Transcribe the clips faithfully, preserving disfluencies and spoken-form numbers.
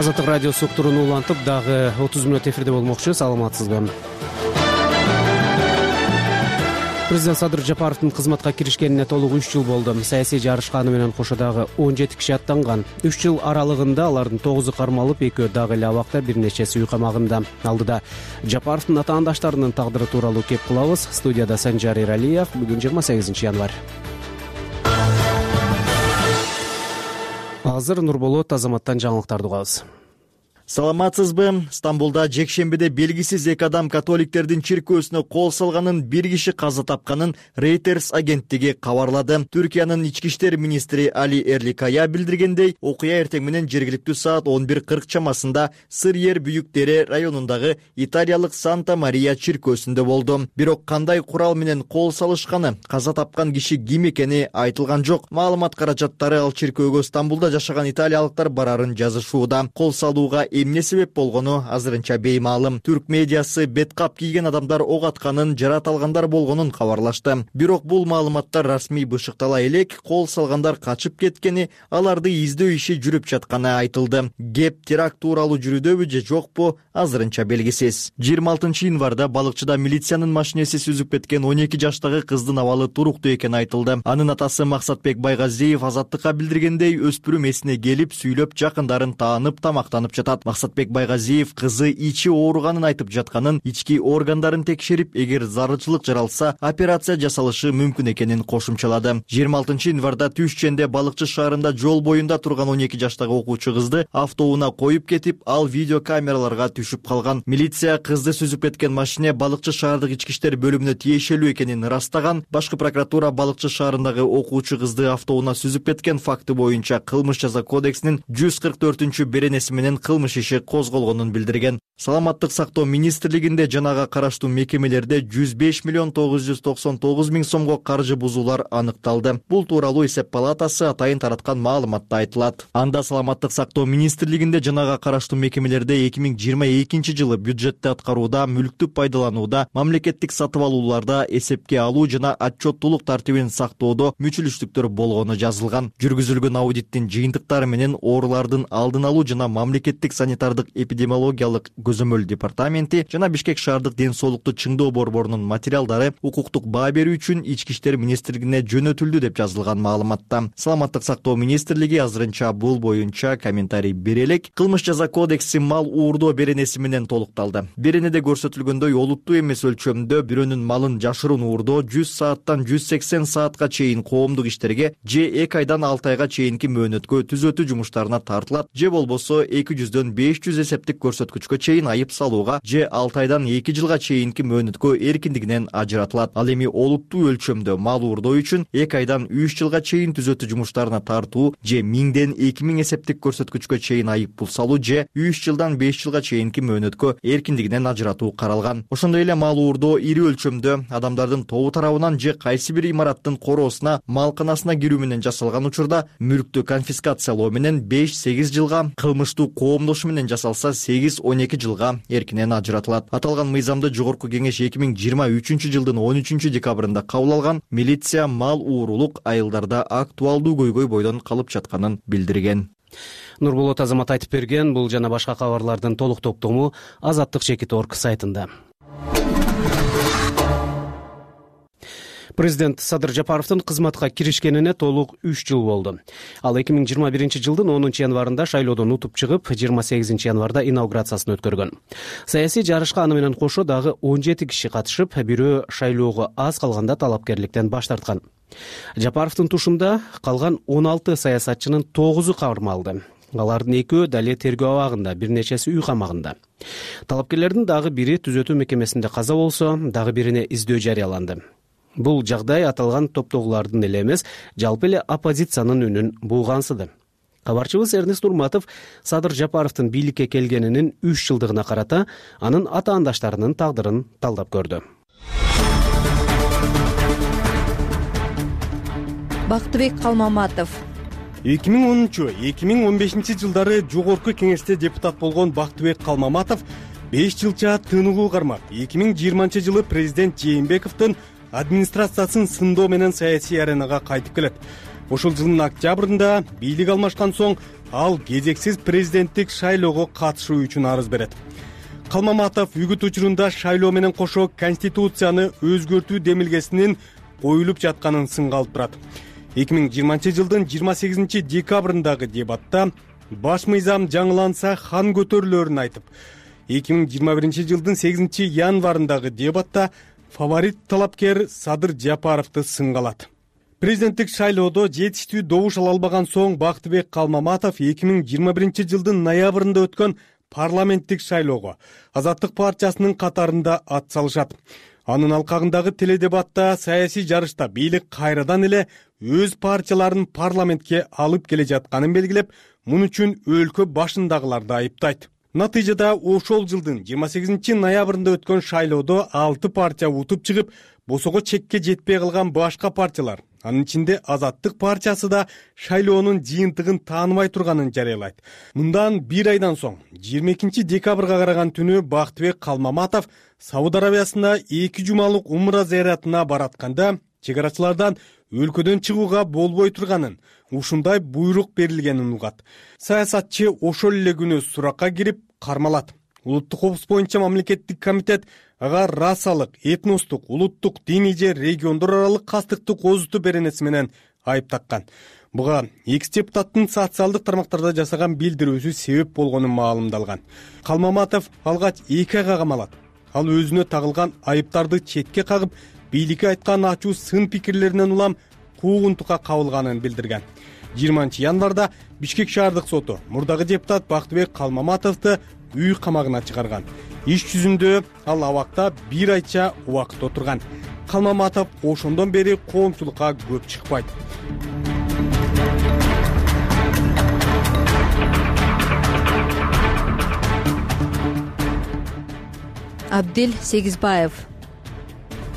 Азаттык радиосу уктуруну улантып, дагы отуз мүнөт эфирде болмокчу. Саламатсызбы? Президент Садыр Жапаровдун кызматка киришкенине толук үч жыл болду. Саясий жарышка аны менен кошо дагы он жети киши аттанган. үч жыл аралыгында алардын тогузу кармалып, экөө дагы эле абакта, бир нечеси үй камагында. Алдыда Жапаровдун атаандаштарынын тагдыры тууралуу кеп кылабыз. Студияда Санжар Эралиев. Бүгүн жыйырма сегизинчи январь. Азыр Нурболот Азаматтан жаңылыктарды угабыз. Саламатсызбы? Стамбулда жекшембиде белгисиз эки адам католиктердин чиркөөсүнө кол салганын, бир киши каза тапканын Reuters агенттиги кабарлады. Түркиянын ички иштер министри Али Эрликая билдиргендей, окуя эртең менен жергиликтүү саат он бир кырк чамасында Сыр-Ер Büyük Dere районундагы италиялык Санта Мария чиркөөсүндө болду. Бирок кандай курал менен кол салышканы, каза тапкан киши ким экени айтылган жок. Маалымат каражаттары ал чиркөөгө Стамбулда жашаган италиялыктар барарын жазышууда. Кол салууга эмне себеп болгону азырынча беймаалым. Түрк медиасы беткап кийген адамдар ок атканын, жараталгандар болгонун кабарлашты. Бирок бул маалыматтар расмий бышыктала элек, кол салгандар качып кеткени, аларды издөө иши жүрүп жатканы айтылды. Кеп теракт тууралуу жүрүүдөбү же жокпу, азырынча белгисиз. жыйырма алтынчы январда балыкчыда милициянын машинеси сүзүп кеткен он эки жаштагы кыздын абалы туруктуу экени айтылды. Анын атасы Максатбек Байгазиев Азаттыкка билдиргендей, өспүрүм эсине келип, сүйлөп, жакындарын таанып, тамактанып жатат. Максатбек Байгазиев кызы ичи ооруганын айтып жатканын, ички органдарын текшерип, эгер зарылчылык жаралса, операция жасалышы мүмкүн экенин кошумчалады. жыйырма алтынчы январда Түшченде Балыкчы шаарында жол боюнда турган он эки жаштагы окуучу кызды автоунаа коюп кетип, ал видео камераларга түшүп калган. Милиция кызды сүзүп кеткен машине Балыкчы шаардык ички иштер бөлүмүнө тиешелүү экенин ырастаган. Башкы прокуратура Балыкчы шаарындагы окуучу кызды автоунаа сүзүп кеткен факты боюнча кылмыш жаза кодексинин жүз кырк төртүнчү беренеси менен кылмыш иши козголгонун билдирген. Саламаттык сактоо министрлигинде жанага караштуу мекемелерде жүз беш миллион тогуз жүз токсон тогуз миң сомго каржы бузуулар аныкталды. Бул тууралуу эсеп палатасы атайын тараткан маалыматта айтылат. Анда Саламаттык сактоо министрлигинде жанага караштуу мекемелерде эки миң жыйырма экинчи жылы бюджетти аткарууда, мүлктү пайдаланууда, мамлекеттик сатып алууларда эсепке алуу жана отчеттуулук тартибин сактоодо мүчүлүштүктөр болгону жазылган. Жүргүзүлгөн аудиттин жыйынтыктары менен оорулардын алдын алуу жана мамлекеттик санитардык эпидемиологиялык көзөмөл департаменти жана Бишкек шаардык ден соолукту чыңдоо борборунун материалдары укуктук баа берүү үчүн ички иштер министрлигине жөнөтүлдү деп жазылган маалыматта. Саламаттык сактоо министрлиги азырынча бул боюнча комментарий бере элек. Кылмыш жаза кодекси мал уурдоо беренеси менен толукталды. Беренеде көрсөтүлгөндөй, олуттуу эмес өлчөмдө бирөөнүн малын жашыруун уурдоо жүз сааттан жүз сексен саатка чейин коомдук иштерге же эки айдан алты айга чейинки мөөнөткө түзөтүү жумуштарына тартылат, же болбосо эки жүздөн беш жүз эсептик көрсөткүчкө чейин айып салууга, же алты айдан эки жылга чейинки мөөнөткө эркиндигинен ажыратылат. Ал эми олуттуу өлчөмдө мал уурдоо үчүн эки айдан үч жылга чейин түзөтүү жумуштарына тартуу, же миңден эки миң эсептик көрсөткүчкө чейин айып пул салуу, же үч жылдан беш жылга чейинки мөөнөткө эркиндигинен ажыратуу каралган. Ошондой эле мал уурдоо ири өлчөмдө адамдардын тобу тарабынан же кайсы бир имараттын короосуна, малканасына кирүү менен жасалган учурда мүлктү конфискациялоо менен беш сегиз жылга, кылмыштуу коомдошу менен жасалса сегиз он эки жылга эркинен ажыратылат. Аталган мыйзамды Жогорку кеңеш эки миң жыйырма үчүнчү жылдын он үчүнчү декабрында кабыл алган. Милиция мал уурулук айылдарда актуалдуу көйгөй бойдон калып жатканын билдирген. Нурболот Азамат айтып берген. Бул жана башка кабарлардын толук токтому Азаттык чекит точка орг сайтында. Президент Садыр Жапаровдун кызматка киришкенине толук үч жыл болду. Ал эки миң жыйырма биринчи жылдын онунчу январында шайлоодон утуп чыгып, жыйырма сегизинчи январда инаугурациясын өткөргөн. Саясий жарышка аны менен кошо дагы он жети киши катышып, бирөө шайлоого аз калганда талапкерликтен баш тарткан. Жапаровдун тушунда калган он алты саясатчынын тогузу кармалды. Алардын экөө дале тергөө абагында, бир нечеси үй камагында. Талапкерлердин дагы бири түзөтүү мекемесинде каза болсо, дагы бирине издөө жарыяланды. Бул жагдай аталган топтогулардын эле эмес, жалпы эле оппозициянын үнүн булгансыды. Кабарчыбыз Эрнест Урматов Садыр Жапаровдун бийликке келгенинин үч жылдыгына карата анын атаандаштарынын тагдырын талдап көрдү. Бактыбек Калмаматов эки миң онунчу — эки миң он бешинчи жылдары Жогорку кеңеште депутат болгон Бактыбек Калмаматов беш жылча тыныгуу кармап, эки миң жыйырманчы жылы президент Жээнбековдун администрациясын сындоо менен саясий аренага кайтып келет. Ошол жылдын октябрында бийлик алмашкан соң ал кезексиз президенттик шайлоого катышуу үчүн арыз берет. Калмаматов үгүт учурунда шайлоо менен кошо конституцияны өзгөртүү демилгесинин коюлуп жатканын сынга алып турат. эки миң жыйырманчы жылдын жыйырма сегизинчи декабрындагы дебатта баш мыйзам жаңыланса хан көтөрүлөрүн айтып, эки миң жыйырма биринчи жылдын сегизинчи январындагы дебатта фаворит талапкер Садыр Жапаровду сынга алат. Президенттик шайлоодо жетиштүү добуш ала албаган соң Бактыбек Калмаматов эки миң жыйырма биринчи жылдын ноябрында өткөн парламенттик шайлоого Азаттык партиясынын катарында ат салышат. Анын алкагындагы теледебатта саясий жарышта бийлик кайрадан эле өз партияларын парламентке алып келе жатканын белгилеп, муну үчүн өлкө башындагыларды айыптайт. Натыйжада ошол жылдын жыйырма сегизинчи ноябрында өткөн шайлоодо алты партия утуп чыгып, босого чекке жетпей калган башка партиялар, анын ичинде Азаттык партиясы да шайлоонун жыйынтыгын тааныбай турганын жарыялайт. Мындан бир айдан соң, жыйырма экинчи декабрга караган түнү Бактыбек Калмаматов Сауд Арабиясында эки жумалык умра зыяратына баратканда чек арачылардан өлкөдөн чыгууга болбой турганын, ушундай буйрук берилгенин угат. Саясатчы ошол эле күнү суракка кирип кармалат. Улуттук коопсуздук боюнча мамлекеттик комитет ага расалык, этностук, улуттук, диний же региондор аралык кастыкты козутуу беренеси менен айып таккан. Буга экс депутаттын социалдык тармактарда жасаган билдирүүсү себеп болгону маалымдалган. Калмаматов алгач эки айга камалат. Ал өзүнө тагылган айыптарды четке кагып, бийликке айткан ачуу сын пикирлеринен улам куугунтукка кабылганын билдирген. жыйырманчы январда Бишкек шаардык соту мурдагы депутат Бактыбек Калмаматовду үй камагына чыгарган. Иш жүзүндө ал абакта бир айча убакыт отурган. Калмаматов ошондон бери коомчулукка көп чыкпайт. Абдил Сегизбаев.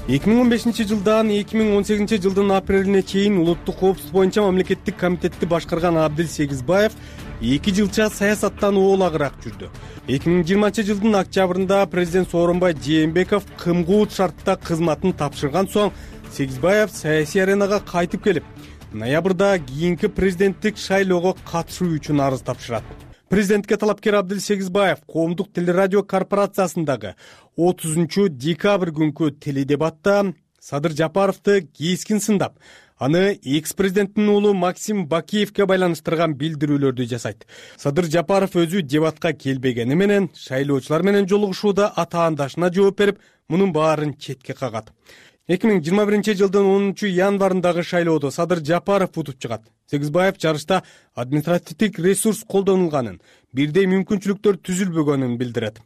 эки миң он бешинчи жылдан эки миң он сегизинчи жылдын апрелине чейин улуттук коопсуздук боюнча мамлекеттик комитетти башкарган Абдил Сегизбаев эки жылча саясаттан оолагыраак жүрдү. эки миң жыйырманчы жылдын октябрында президент Сооронбай Жээнбеков кымгуут шартта кызматын тапшырган соң Сегизбаев саясий аренага кайтып келип, ноябрда кийинки президенттик шайлоого катышуу үчүн арыз тапшырат. Президентке талапкер Абдил Сегизбаев коомдук телерадио корпорациясындагы отузунчу декабрь күнкү теледебатта Садыр Жапаровду кескин сындап, аны экс-президенттин уулу Максим Бакиевке байланыштырган билдирүүлөрдү жасайт. Садыр Жапаров өзү дебатка келбегени менен шайлоочулар менен жолугушууда атаандашына жооп берип, мунун баарын четке кагат. эки миң жыйырма биринчи жылдын онунчу январындагы шайлоодо Садыр Жапаров утуп чыгат. Сегизбаев жарышта административдик ресурс колдонулганын, бирдей мүмкүнчүлүктөр түзүлбөгөнүн билдирет.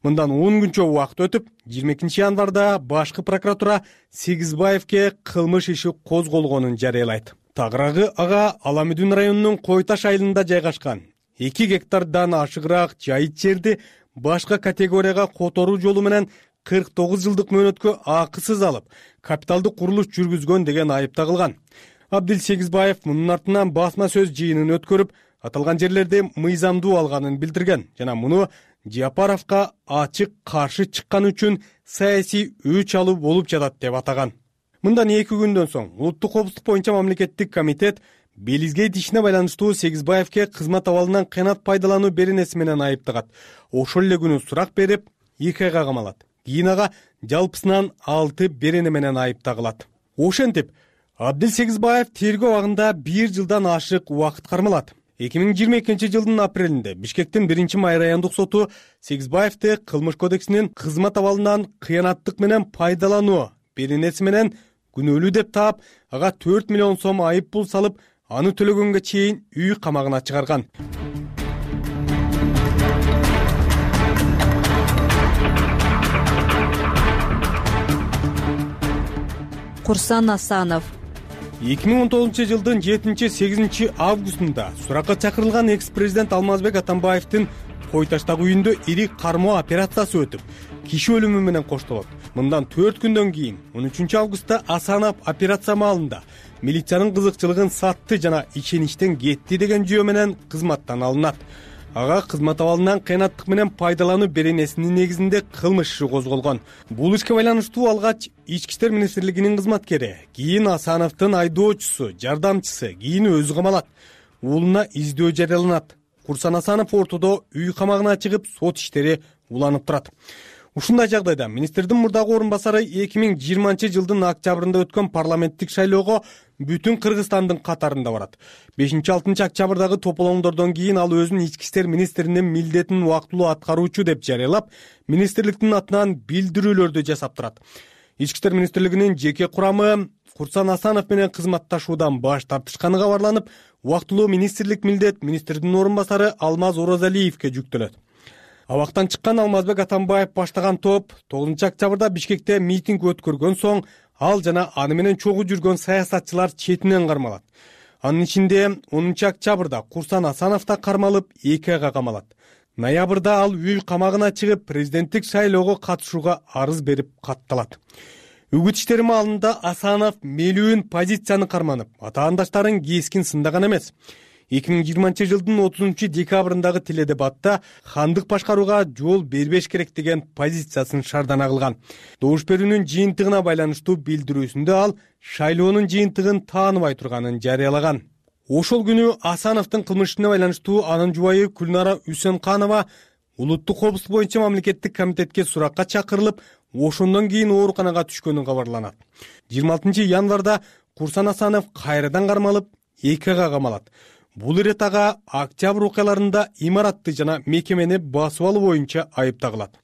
Мындан он күнчө убакыт өтүп, жыйырма экинчи январда башкы прокуратура Сегизбаевке кылмыш иши козголгонун жарыялайт. Тагыраагы ага Аламүдүн районунун Кой Таш айылында жайгашкан эки гектардан ашыгыраак жайыт жерди башка категорияга которуу жолу менен кырк тогуз жылдык мөөнөткө акысыз алып, капиталдык курулуш жүргүзгөн деген айып тагылган. Абдил Сегизбаев мунун артынан басма сөз жыйынын өткөрүп, аталган жерлерди мыйзамдуу алганын билдирген жана муну Жапаровго ачык каршы чыккан үчүн саясий өч алуу болуп жатат деп атаган. Мындан эки күндөн соң улуттук коопсуздук боюнча мамлекеттик комитет Белизгейт ишине байланыштуу Сегизбаевке кызмат абалынан кыянат пайдалануу беренеси менен айыптагат. Ошол эле күнү сурак берип, эки айга камалат. Кийин ага жалпысынан алты берене менен айып тагылат. Ошентип, Абдил Сегизбаев тергөө абагында бир жылдан ашык убакыт кармалат. эки миң жыйырма экинчи жылдын апрелинде Бишкектин биринчи май райондук соту Сегизбаевди кылмыш кодексинин кызмат абалынан кыянаттык менен пайдалануу беренеси менен күнөөлүү деп таап, ага төрт миллион сом айып пул салып, аны төлөгөнгө чейин үй камагына чыгарган. Курсан Асанов. эки миң он тогузунчу жылдын жетинчи сегизинчи августунда суракка чакырылган экс-президент Алмазбек Атамбаевдин Кой Таштагы үйүндө ири кармоо операциясы өтүп, киши өлүмү менен коштолот. Мындан төрт күндөн кийин он үчүнчү августта Асанов операция маалында милициянын кызыкчылыгын сатты жана ишеничтен кетти деген жүйө менен кызматтан алынат. Ага кызмат абалынан кыянаттык менен пайдалануу беренесинин негизинде кылмыш иши козголгон. Бул ишке байланыштуу алгач Ички иштер министрлигинин кызматкери, кийин Асановдун айдоочусу, жардамчысы, кийин өзү камалат. Уулуна издөө жарыяланат. Курсан Асанов ортодо үй камагына чыгып, сот иштери уланып турат. Ушундай жагдайда министрдин мурдагы орун басары эки миң жыйырманчы жылдын октябрында өткөн парламенттик шайлоого бүтүн Кыргызстандын катарында барат. бешинчи алтынчы октябрдагы тополоңдордон кийин ал өзүнүн ички иштер министринин милдетин убактылуу аткаруучу деп жарыялап, министрликтин атынан билдирүүлөрдү жасап турат. Ички иштер министрлигинин жеке курамы Курсан Асанов менен кызматташуудан баш тартышканы кабарланып, убактылуу министрлик милдет министрдин орун басары Алмаз Оразалиевке жүктөлөт. Абактан чыккан Алмазбек Атамбаев баштаган топ тогузунчу октябрда Бишкекте митинг өткөргөн соң ал жана аны менен чогуу жүргөн саясатчылар четинен кармалат. Анын ичинде онунчу октябрда Курсан Асанов да кармалып, эки айга камалат. Ноябрда ал үй камагына чыгып, президенттик шайлоого катышууга арыз берип катталат. Үгүт иштери маалында Асанов мелүүн позицияны карманып, атаандаштарын кескин сындаган эмес. эки миң жыйырманчы жылдын отузунчу декабрындагы теледебатта хандык башкарууга жол бербеш керек деген позициясын шардана кылган. Добуш берүүнүн жыйынтыгына байланыштуу билдирүүсүндө ал шайлоонун жыйынтыгын тааныбай турганын жарыялаган. Ошол күнү Асановдун кылмышына байланыштуу анын жубайы Күлнара Үсөнканова улуттук коопсуздук боюнча мамлекеттик комитетке суракка чакырылып, ошондон кийин ооруканага түшкөнү кабарланат. жыйырма алтынчы январда Курсан Асанов кайрадан кармалып, эки айга камалат. Бул ирет ага октябрь окуяларында имаратты жана мекемени басып алуу боюнча айыпталат.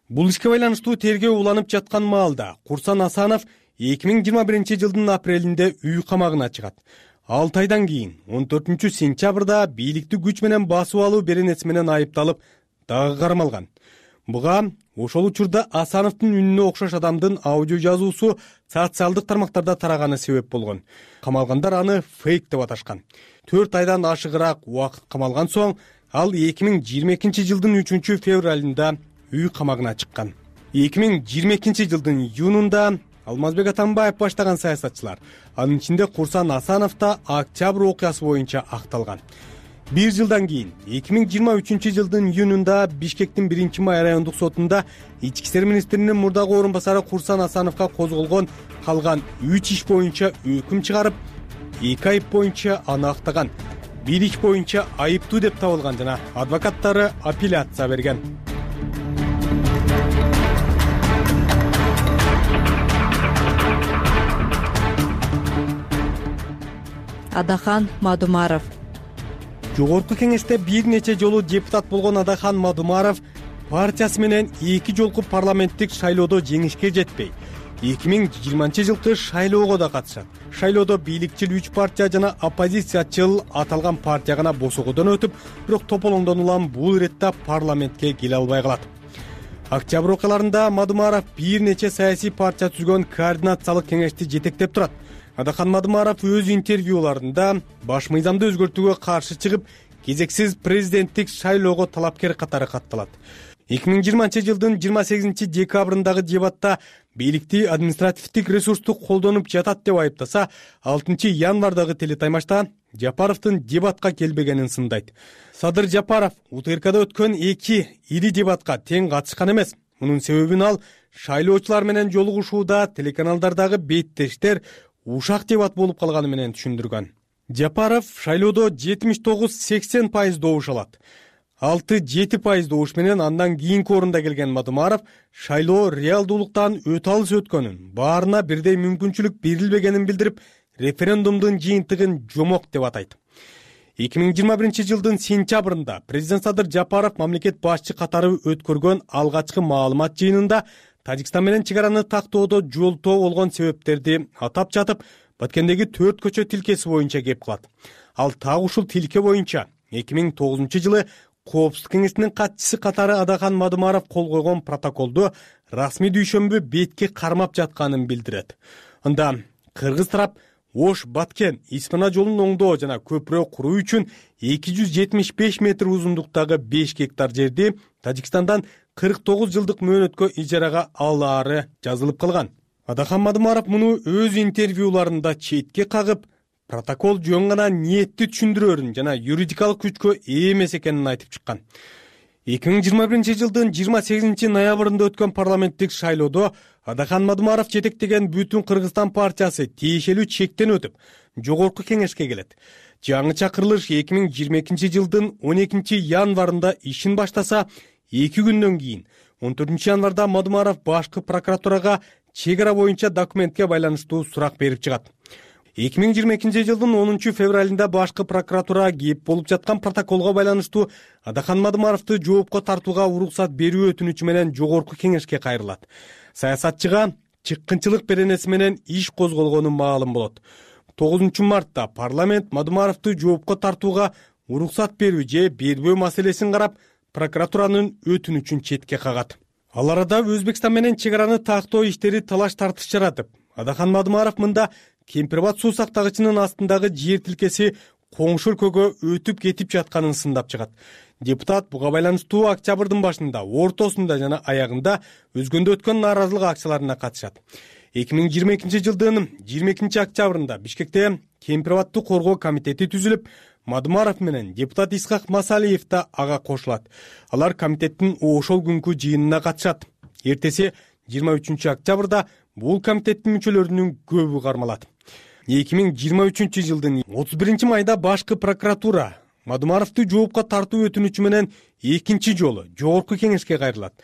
Бул ишке байланыштуу тергөө уланып жаткан маалда Курсан Асанов эки миң жыйырма биринчи жылдын апрелинде үй камагына чыгат. алты айдан кийин он төртүнчү сентябрда бийликти күч менен басып алуу беренеси менен айыпталып, дагы кармалган. Буга ошол учурда Асановдун үнүнө окшош адамдын аудио жазуусу социалдык тармактарда тараганы себеп болгон. Камалгандар аны фейк деп аташкан. төрт айдан ашыгыраак убакыт камалган соң ал эки миң жыйырма экинчи жылдын үчүнчү февралында үй камагына чыккан. эки миң жыйырма экинчи жылдын июнунда Алмазбек Атамбаев баштаган саясатчылар, анын ичинде Курсан Асанов да октябрь окуясы боюнча акталган. Бир жылдан кийин эки миң жыйырма үчүнчү жылдын июнунда Бишкектин биринчи май райондук сотунда ички иштер министринин мурдагы орун басары Курсан Асановго козголгон калган үч иш боюнча өкүм чыгарып, эки айып боюнча аны актаган, бир иш боюнча айыптуу деп табылган жана адвокаттары апелляция берген. Адахан Мадумаров. Жогорку кеңеште бир нече жолу депутат болгон Адахан Мадумаров партиясы менен эки жолку парламенттик шайлоодо жеңишке жетпей, эки миң жыйырманчы жылкы шайлоого да катышат. Шайлоодо бийликчил үч партия жана оппозициячыл аталган партия гана босогодон өтүп, бирок тополоңдон улам бул иретте парламентке келе албай калат. Октябрь окуяларында Мадумаров бир нече саясий партия түзгөн координациялык кеңешти жетектеп турат. Адахан Мадумаров өз интервьюларында баш мыйзамды өзгөртүүгө каршы чыгып, кезексиз президенттик шайлоого талапкер катары катталат. эки миң жыйырманчы жылдын жыйырма сегизинчи декабрындагы дебатта бийликти административдик ресурсту колдонуп жатат деп айыптаса, алтынчы январдагы телетаймашта Жапаровдун дебатка келбегенин сындайт. Садыр Жапаров УТРКда өткөн эки ири дебатка тең катышкан эмес. Мунун себебин ал шайлоочулар менен жолугушууда телеканалдардагы беттештер ушак дебат болуп калганы менен түшүндүргөн. Жапаров шайлоодо жетимиш тогуз сексен пайыз добуш алат. алты жети пайыз добуш менен андан кийинки орунда келген Мадумаров шайлоо реалдуулуктан өтө алыс өткөнүн, баарына бирдей мүмкүнчүлүк берилбегенин билдирип, референдумдун жыйынтыгын жомок деп атайт. эки миң жыйырма биринчи жылдын сентябрында президент Садыр Жапаров мамлекет башчы катары өткөргөн алгачкы маалымат жыйынында Тажикстан менен чек араны тактоодо жолтоо болгон себептерди атап жатып, Баткендеги төрт көчө тилкеси боюнча кеп кылат. Ал так ушул тилке боюнча эки миң тогузунчу жылы Коопсуздук кеңешинин катчысы катары Адахан Мадумаров кол койгон протоколду расмий дүйшөмбү бетке кармап жатканын билдирет. Анда кыргыз тарап Ош Баткен Испана жолун оңдоо жана көпүрө куруу үчүн эки жүз жетимиш беш метр узундуктагы беш гектар жерди Тажикстандан кырк тогуз жылдык мөөнөткө ижарага алаары жазылып калган. Адахан Мадумаров муну өз интервьюларында четке кагып, протокол жөн гана ниетти түшүндүрөрүн жана юридикалык күчкө ээ эмес экенин айтып чыккан. эки миң жыйырма биринчи жылдын жыйырма сегизинчи ноябрында өткөн парламенттик шайлоодо Адахан Мадумаров жетектеген Бүтүн Кыргызстан партиясы тиешелүү чектен өтүп, жогорку кеңешке келет. Жаңы чакырылыш эки миң жыйырма экинчи жылдын он экинчи январында ишин баштаса, эки күндөн кийин он төртүнчү январда Мадумаров башкы прокуратурага чек ара боюнча документке байланыштуу сурак берип чыгат. эки миң жыйырма экинчи жылдын онунчу февралында башкы прокуратура кеп болуп жаткан протоколго байланыштуу Адахан Мадумаровду жоопко тартууга уруксат берүү өтүнүчү менен жогорку кеңешке кайрылат. Саясатчыга чыккынчылык беренеси менен иш козголгону маалым болот. тогузунчу мартта парламент Мадумаровду жоопко тартууга уруксат берүү же бербөө маселесин карап, прокуратуранын өтүнүчүн четке кагат. Ал арада Өзбекстан менен чек араны тактоо иштери талаш тартыш жаратып, Адахан Мадумаров мында Кемпирбат суу сактагычынын астындагы жер тилкеси коңшу өлкөгө өтүп кетип жатканын сындап чыгат. Депутат буга байланыштуу октябрдын башында, ортосунда жана аягында өзгөндө өткөн нааразылык акцияларына катышат. эки миң жыйырма экинчи жылдын жыйырма экинчи октябрында Бишкекте Кемпирбатты коргоо комитети түзүлүп, Мадумаров менен депутат Исхак Масалиев да ага кошулат. Алар комитеттин ошол күнкү жыйынына катышат. Эртеси жыйырма үчүнчү октябрда бул комитеттин мүчөлөрүнүн көбү кармалат. эки миң жыйырма үчүнчү жылдын отуз биринчи майда башкы прокуратура Мадумаровду жоопко тартуу өтүнүчү менен экинчи жолу жогорку кеңешке кайрылат.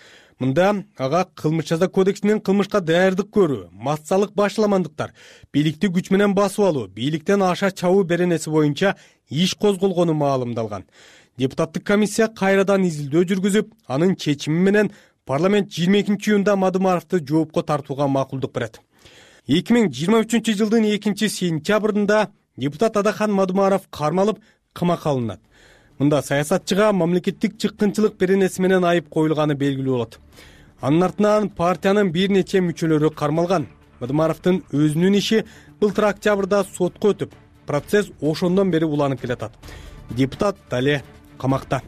Мында ага кылмыш жаза кодексинин кылмышка даярдык көрүү, массалык башаламандыктар, бийликти күч менен басып алуу, бийликтен аша чабуу беренеси боюнча иш козголгону маалымдалган. Депутаттык комиссия кайрадан изилдөө жүргүзүп, анын чечими менен парламент жыйырма экинчи июнда Мадумаровду жоопко тартууга макулдук берет. эки миң жыйырма үчүнчү жылдын экинчи сентябрында депутат Адахан Мадумаров кармалып, камакка алынат. Мында саясатчыга мамлекеттик чыккынчылык беренеси менен айып коюлганы белгилүү болот. Анын артынан партиянын бир нече мүчөлөрү кармалган. Мадумаровдун өзүнүн иши былтыр октябрда сотко өтүп, процесс ошондон бери уланып келатат. Депутат дале камакта.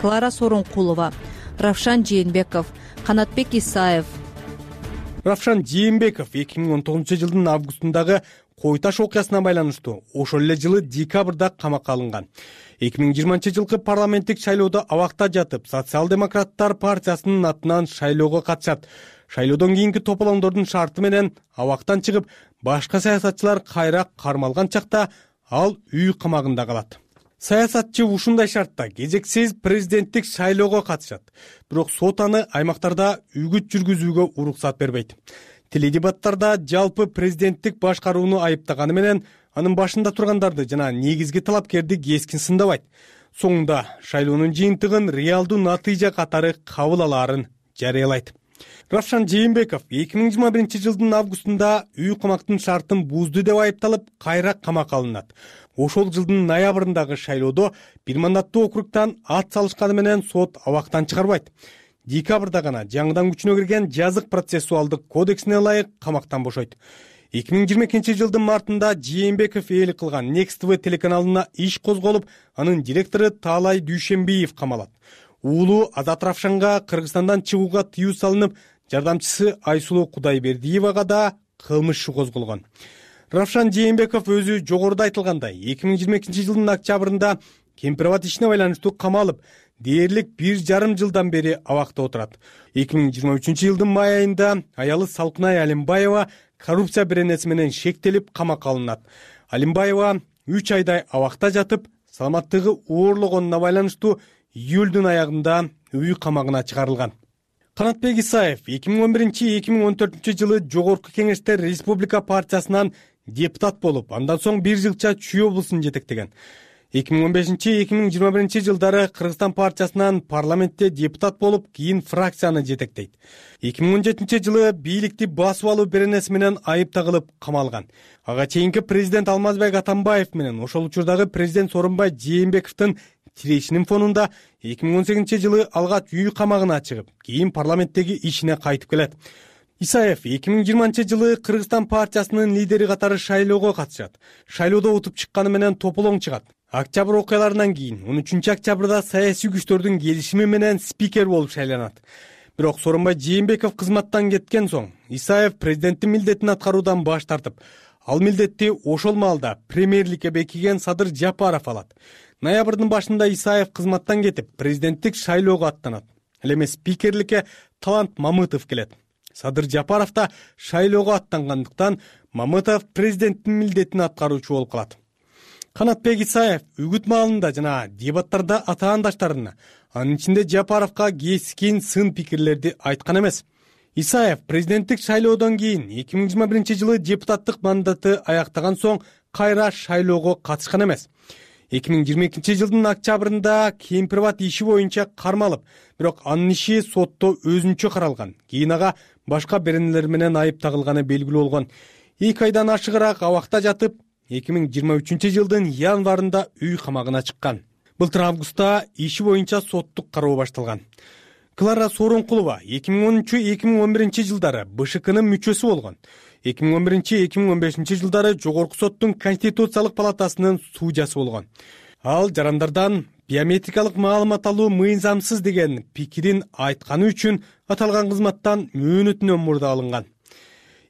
Клара Сорункулова, Равшан Жээнбеков, Канатбек Исаев. Равшан Жээнбеков эки миң он тогузунчу жылдын августундагы Кой Таш окуясына байланыштуу ошол эле жылы декабрда камакка алынган. эки миң жыйырманчы жылкы парламенттик шайлоодо абакта жатып, Социал-демократтар партиясынын атынан шайлоого катышат. Шайлоодон кийинки тополоңдордун шарты менен абактан чыгып, башка саясатчылар кайра кармалган чакта ал үй камагында калат. Саясатчы ушундай шартта кезексиз президенттик шайлоого катышат. Бирок сот аны аймактарда үгүт жүргүзүүгө уруксат бербейт. Теледебаттарда жалпы президенттик башкарууну айыптаганы менен анын башында тургандарды жана негизги талапкерди кескин сындабайт. Соңунда шайлоонун жыйынтыгын реалдуу натыйжа катары кабыл алаарын жарыялайт. Равшан Жээнбеков эки миң жыйырма биринчи жылдын августунда үй камактын шартын бузду деп айыпталып, кайра камакка алынат. Ошол жылдын ноябрындагы шайлоодо бир мандаттуу округтан ат салышканы менен сот абактан чыгарбайт. Декабрда гана жаңыдан күчүнө кирген жазык процессуалдык кодексине ылайык камактан бошойт. эки миң жыйырма экинчи жылдын мартында Жээнбеков ээлик кылган Next ти ви телеканалына иш козголуп, анын директору Таалай Дүйшенбиев камалат. Уулу Азат Равшанга Кыргызстандан чыгууга тыюу салынып, жардамчысы Айсулуу Кудайбердиевага да кылмыш иши козголгон. Равшан Жээнбеков өзү жогоруда айтылгандай эки миң жыйырма экинчи жылдын октябрында Кемпирбат ишине байланыштуу камалып, дээрлик бир жарым жылдан бери абакта отурат. эки миң жыйырма үчүнчү жылдын май айында аялы Салкынай Алимбаева коррупция беренеси менен шектелип камакка алынат. Алимбаева үч айдай абакта жатып, саламаттыгы оорлогонуна байланыштуу июлдун аягында үй камагына чыгарылган. Канатбек Исаев эки миң он биринчи — эки миң он төртүнчү жылы жогорку кеңеште Республика партиясынан депутат болуп, андан соң бир жылча Чүй облусун жетектеген. эки миң он бешинчи — эки миң жыйырма биринчи жылдары Кыргызстан партиясынан парламентте депутат болуп, кийин фракцияны жетектейт. эки миң он жетинчи жылы бийликти басып алуу беренеси менен айыпталып камалган. Ага чейинки президент Алмазбек Атамбаев менен ошол учурдагы президент Сооронбай Жээнбековдун тирешинин фонунда эки миң он сегизинчи жылы алгач үй камагына чыгып, кийин парламенттеги ишине кайтып келет. Исаев эки миң жыйырманчы жылы Кыргызстан партиясынын лидери катары шайлоого катышат. Шайлоодо утуп чыкканы менен тополоң чыгат. Октябрь окуяларынан кийин он үчүнчү октябрда саясий күчтөрдүн келишими менен спикер болуп шайланат. Бирок Сооронбай Жээнбеков кызматтан кеткен соң Исаев президенттин милдетин аткаруудан баш тартып, ал милдетти ошол маалда премьерликке бекиген Садыр Жапаров алат. Ноябрдын башында Исаев кызматтан кетип, президенттик шайлоого аттанат. Ал эми спикерликке Талант Мамытов келет. Садыр Жапаров да шайлоого аттангандыктан Мамытов президенттин милдетин аткаруучу болуп калат. Канатбек Исаев үгүт маалында жана дебаттарда атаандаштарына, анын ичинде Жапаровго кескин сын пикирлерди айткан эмес. Исаев президенттик шайлоодон кийин эки миң жыйырма биринчи жылы депутаттык мандаты аяктаган соң кайра шайлоого катышкан эмес. эки миң жыйырма экинчи жылдын октябрында Кемпирбат иши боюнча кармалып, бирок анын иши сотто өзүнчө каралган. Кийин ага башка беренелер менен айып тагылганы белгилүү болгон. эки айдан ашыгыраак абакта жатып, эки миң жыйырма үчүнчү жылдын январында үй камагына чыккан. Былтыр августта иши боюнча соттук кароо башталган. Клара Сооронкулова эки миң онунчу — эки миң он биринчи жылдары Бэ Ш Кнын мүчөсү болгон. эки миң он биринчи — эки миң он бешинчи жылдары Жогорку соттун Конституциялык палатасынын судьясы болгон. Ал жарандардан биометрикалык маалымат алуу мыйзамсыз деген пикирин айтканы үчүн аталган кызматтан мөөнөтүнөн мурда алынган.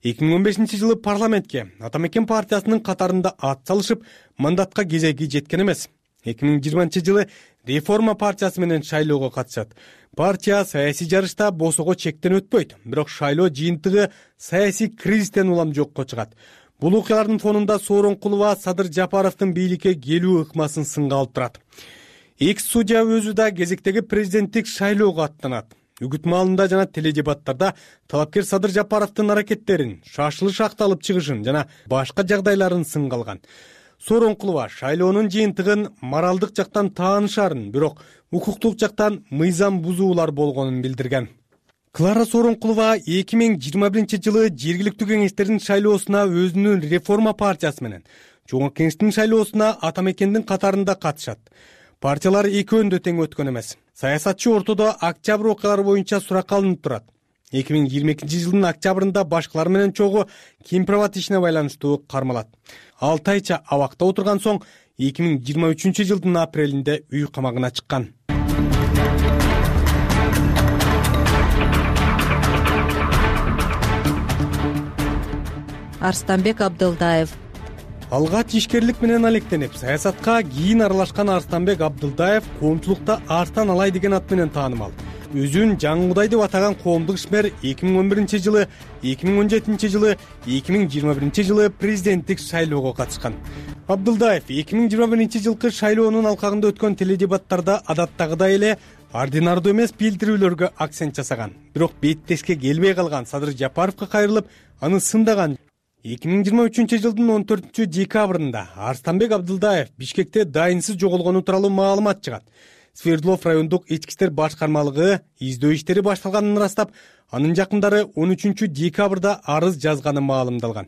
эки миң он бешинчи жылы парламентке Ата Мекен партиясынын катарында ат салышып, мандатка кезеги жеткен эмес. эки миң жыйырманчы жылы Реформа партиясы менен шайлоого катышат. Партия саясий жарышта босого чектен өтпөйт, бирок шайлоо жыйынтыгы саясий кризистен улам жокко чыгат. Бул окуялардын фонунда Сооронкулова Садыр Жапаровдун бийликке келүү ыкмасын сынга алып турат. Экс судья өзү да кезектеги президенттик шайлоого аттанат. Үгүт маалында жана теледебаттарда талапкер Садыр Жапаровдун аракеттерин, шашылыш акталып чыгышын жана башка жагдайларын сынга алган. Сооронкулова шайлоонун жыйынтыгын моралдык жактан таанышарын, бирок укуктук жактан мыйзам бузуулар болгонун билдирген. Клара Сооронкулова эки миң жыйырма биринчи жылы жергиликтүү кеңештердин шайлоосуна өзүнүн Реформа партиясы менен, Жогорку кеңештин шайлоосуна Ата Мекендин катарында катышат. Партиялар экөөндө тең өткөн эмес. Саясатчы ортодо октябрь окуялары боюнча суракка алынып турат. эки миң жыйырма экинчи жылдын октябрында башкалар менен чогуу Кемпирбат ишине байланыштуу кармалат. алты айча абакта отурган соң эки миң жыйырма үчүнчү жылдын апрелинде үй камагына чыккан. Арстанбек Абдылдаев. Алгач ишкерлик менен алектенип, саясатка кийин аралашкан Арстанбек Абдылдаев коомчулукта артан алай деген ат менен таанымал. Өзүн Жаңгудай деп атаган коомдук ишмер эки миң он биринчи жылы, эки миң он жетинчи жылы, эки миң жыйырма биринчи жылы президенттик шайлоого катышкан. Абдылдаев эки миң жыйырма биринчи жылкы шайлоонун алкагында өткөн теледебаттарда адаттагыдай эле ординардуу эмес билдирүүлөргө акцент жасаган. Бирок беттешке келбей калган Садыр Жапаровго кайрылып, аны сындаган. эки миң жыйырма үчүнчү жылдын он төртүнчү декабрында Арстанбек Абдылдаев Бишкекте дайынсыз жоголгону тууралуу маалымат чыгат. Свердлов райондук ички иштер башкармалыгы издөө иштери башталганын ырастап, анын жакындары он үчүнчү декабрда арыз жазганы маалымдалган.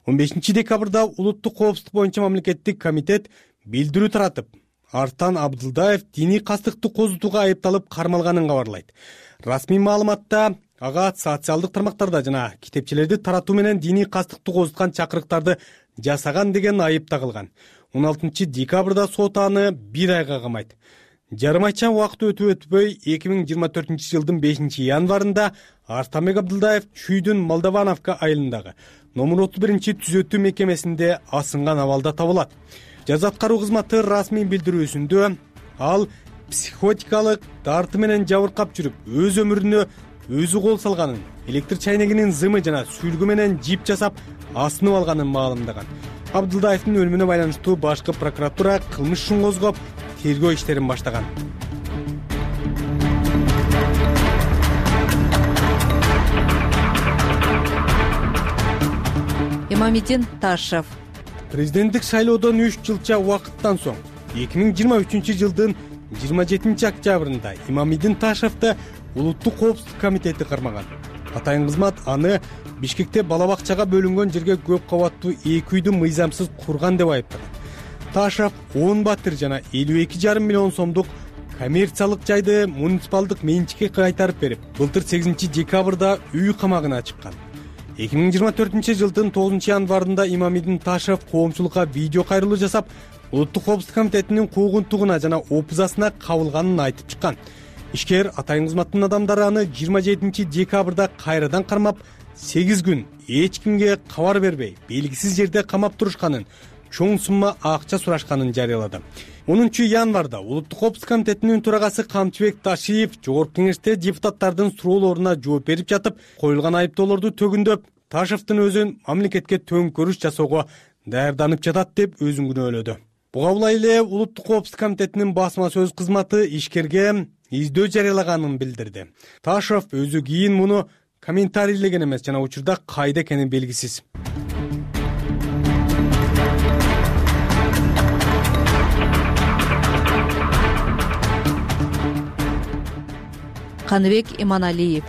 он бешинчи декабрда улуттук коопсуздук боюнча мамлекеттик комитет билдирүү таратып, арттан Абдылдаев диний кастыктык козутууга айыпталып кармалганын кабарлайт. Расмий маалыматта ага социалдык тармактарда жана китепчелерди таратуу менен диний кастыктык козуткан чакырыктарды жасаган деген айып тагылган. он алтынчы декабрда сот аны бир айга камайт. Жарым айча убакыт өтүп өтпөй эки миң жыйырма төртүнчү жылдын бешинчи январында Арстанбек Абдылдаев Чүйдүн Молдовановка айылындагы номер отуз биринчи түзөтүү мекемесинде асынган абалда табылат. Жаза аткаруу кызматы расмий билдирүүсүндө ал психотикалык дарты менен жабыркап жүрүп, өз өмүрүнө өзү кол салганын, электр чайнегинин зымы жана сүлгү менен жип жасап асынып алганын маалымдаган. Абдылдаевдин өлүмүнө байланыштуу башкы прокуратура кылмыш ишин козгоп, тергөө иштерин баштаган. Имамиддин Ташев. Президенттик шайлоодон үч жылча убакыттан соң эки миң жыйырма үчүнчү жылдын жыйырма жетинчи октябрында Имамиддин Ташевди улуттук коопсуздук комитети кармаган. Атайын кызмат аны Бишкекте бала бакчага бөлүнгөн жерге көп кабаттуу эки үйдү мыйзамсыз курган деп айыптаган. Ташев он батир жана элүү эки жарым миллион сомдук коммерциялык жайды муниципалдык менчикке кайтарып берип, былтыр сегизинчи декабрда үй камагына чыккан. эки миң жыйырма төртүнчү жылдын тогузунчу январында Имамиддин Ташев коомчулукка видео кайрылуу жасап, улуттук коопсуздук комитетинин куугунтугуна жана опузасына кабылганын айтып чыккан. ишкер атайын кызматтын адамдары аны жыйырма жетинчи декабрда кайрадан кармап, сегиз күн эч кимге кабар бербей, белгисиз жерде камап турушканын, чоң сумма акча сурашканын жарыялады. онунчу январда Улуттук коопсуздук комитетинин төрагасы Камчыбек Ташиев жогорку кеңеште депутаттардын суроолоруна жооп берип жатып, коюлган айыптоолорду төгүндөп, Ташевдин өзүн мамлекетке төңкөрүш жасоого даярданып жатат деп өзүн күнөөлөдү. Буга булай эле Улуттук коопсуздук комитетинин басма сөз кызматы ишкерге издөө жарыялаганын билдирди. Ташев өзү кийин муну комментарийлеген эмес жана учурда кайда экени белгисиз. Каныбек Иманалиев.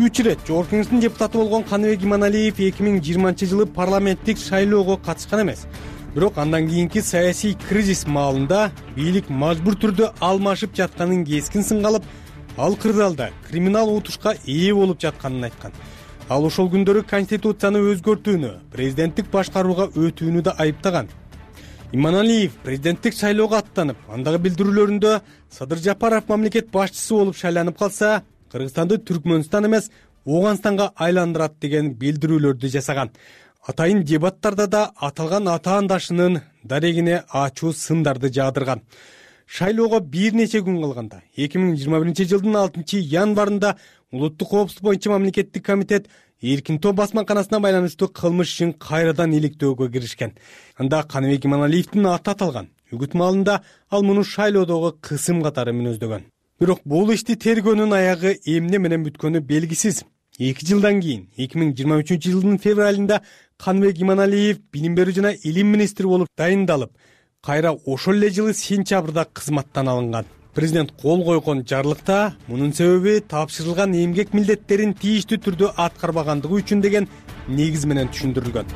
үч ирет жогорку кеңештин депутаты болгон Каныбек Иманалиев эки миң жыйырманчы жылы парламенттик шайлоого катышкан эмес. Бирок андан кийинки саясий кризис маалында бийлик мажбур түрдө алмашып жатканын кескин сынга алып, ал кырдаалда криминал утушка ээ болуп жатканын айткан. Ал ошол күндөрү конституцияны өзгөртүүнү, президенттик башкарууга өтүүнү да айыптаган. Иманалиев президенттик шайлоого аттанып, андагы билдирүүлөрүндө Садыр Жапаров мамлекет башчысы болуп шайланып калса, Кыргызстанды Түркмөнстан эмес, Ооганстанга айландырат деген билдирүүлөрдү жасаган. Атайын дебаттарда да аталган атаандашынын дарегине ачуу сындарды жаадырган. Шайлоого бир нече күн калганда, эки миң жыйырма биринчи жылдын алтынчы январында Улуттук коопсуздук боюнча мамлекеттик комитет Эркин топ басмаканасына байланыштуу кылмыш ишин кайрадан иликтөөгө киришкен. Анда Каныбек Иманалиевдин аты аталган. Үгүт маалында ал муну шайлоодогу кысым катары мүнөздөгөн. Бирок бул ишти тергөөнүн аягы эмне менен бүткөнү белгисиз. эки жылдан кийин эки миң жыйырма үчүнчү жылдын февралында Каныбек Иманалиев билим берүү жана илим министри болуп дайындалып, кайра ошол эле жылы сентябрда кызматтан алынган. Президент кол койгон жарлыкта мунун себеби тапшырылган эмгек милдеттерин тийиштүү түрдө аткарбагандыгы үчүн деген негиз менен түшүндүрүлгөн.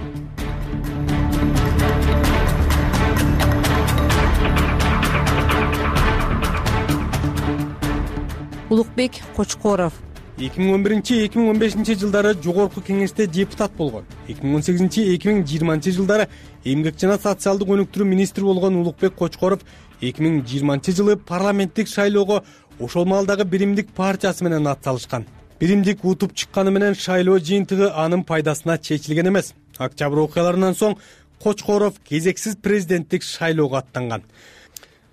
Улукбек Кочкоров. эки миң он биринчи — эки миң он бешинчи жылдары жогорку кеңеште депутат болгон. эки миң он сегизинчи — эки миң жыйырманчы жылдары эмгек жана социалдык өнүктүрүү министри болгон Улукбек Кочкоров эки миң жыйырманчы жылы парламенттик шайлоого ошол маалдагы Биримдик партиясы менен ат салышкан. Биримдик утуп чыкканы менен шайлоо жыйынтыгы анын пайдасына чечилген эмес. Октябрь окуяларынан соң Кочкоров кезексиз президенттик шайлоого аттанган.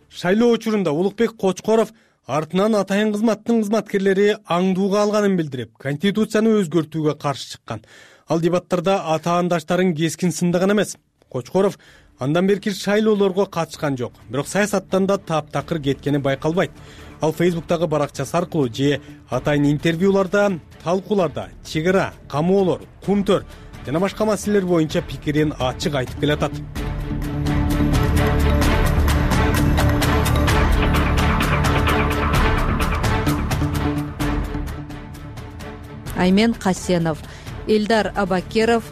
Шайлоо учурунда Улукбек Кочкоров артынан атайын кызматтын кызматкерлери аңдууга алганын билдирип, конституцияны өзгөртүүгө каршы чыккан. Ал дебаттарда атаандаштарын кескин сындаган эмес. Кочкоров андан берки шайлоолорго катышкан жок, бирок саясаттан да таптакыр кеткени байкалбайт. Ал Фейсбуктагы баракчасы аркылуу же атайын интервьюларда, талкууларда чек ара, камоолор, кумтөр жана башка маселелер боюнча пикирин ачык айтып келатат. Аймен Касенов. Элдар Абакиров.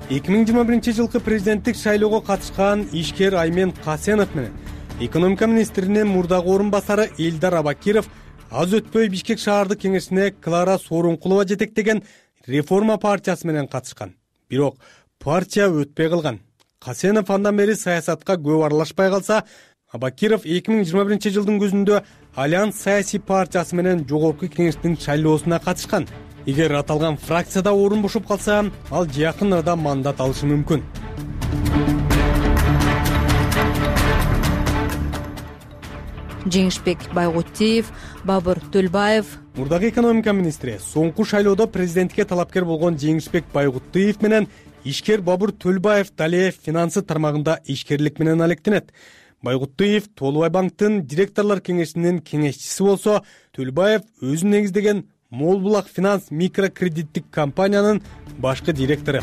эки миң жыйырма биринчи жылкы президенттик шайлоого катышкан ишкер Аймен Касенов менен экономика министринин мурдагы орун басары Элдар Абакиров аз өтпөй Бишкек шаардык кеңешине Клара Сооронкулова жетектеген Реформа партиясы менен катышкан. Бирок партия өтпөй калган. Касенов андан бери саясатка көп аралашпай калса, Абакиров эки миң жыйырма биринчи жылдын күзүндө Альянс саясий партиясы менен жогорку кеңештин шайлоосуна катышкан. Эгер аталган фракцияда орун бошоп калса, ал жакын арада мандат алышы мүмкүн. Жеңишбек Байгутиев, Бабыр Төлбаев. Мурдагы экономика министри соңку шайлоодо президентке талапкер болгон Жеңишбек Байгутиев менен ишкер Бабыр Төлбаев дале финансы тармагында ишкерлик менен алектенет. Байгутиев Толубай банктын директорлор кеңешинин кеңешчиси болсо, Төлбаев өзү негиздеген Мол Булак финанс микрокредиттик компаниянын башкы директору.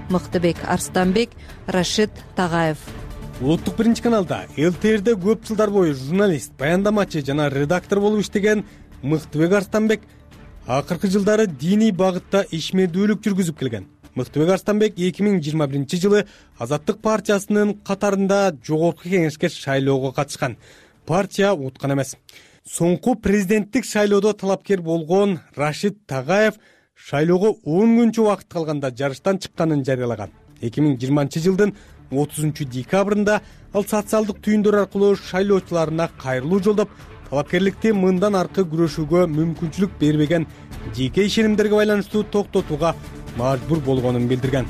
Мыктыбек Арстанбек, Рашид Тагаев. Улуттук биринчи каналда эл тэ эрде көп жылдар бою журналист, баяндамачы жана редактор болуп иштеген Мыктыбек Арстанбек акыркы жылдары диний багытта ишмердүүлүк жүргүзүп келген. Мыктыбек Арстанбек эки миң жыйырма биринчи жылы Азаттык партиясынын катарында жогорку кеңешке шайлоого катышкан. Партия уткан эмес. Соңку президенттик шайлоодо талапкер болгон Рашид Тагаев шайлоого он күнчө убакыт калганда жарыштан чыкканын жарыялаган. эки миң жыйырманчы жылдын отузунчу декабрында ал социалдык түйүндөр аркылуу шайлоочуларына кайрылуу жолдоп, талапкерликти мындан аркы күрөшүүгө мүмкүнчүлүк бербеген жеке ишенимдерге байланыштуу токтотууга мажбур болгонун билдирген.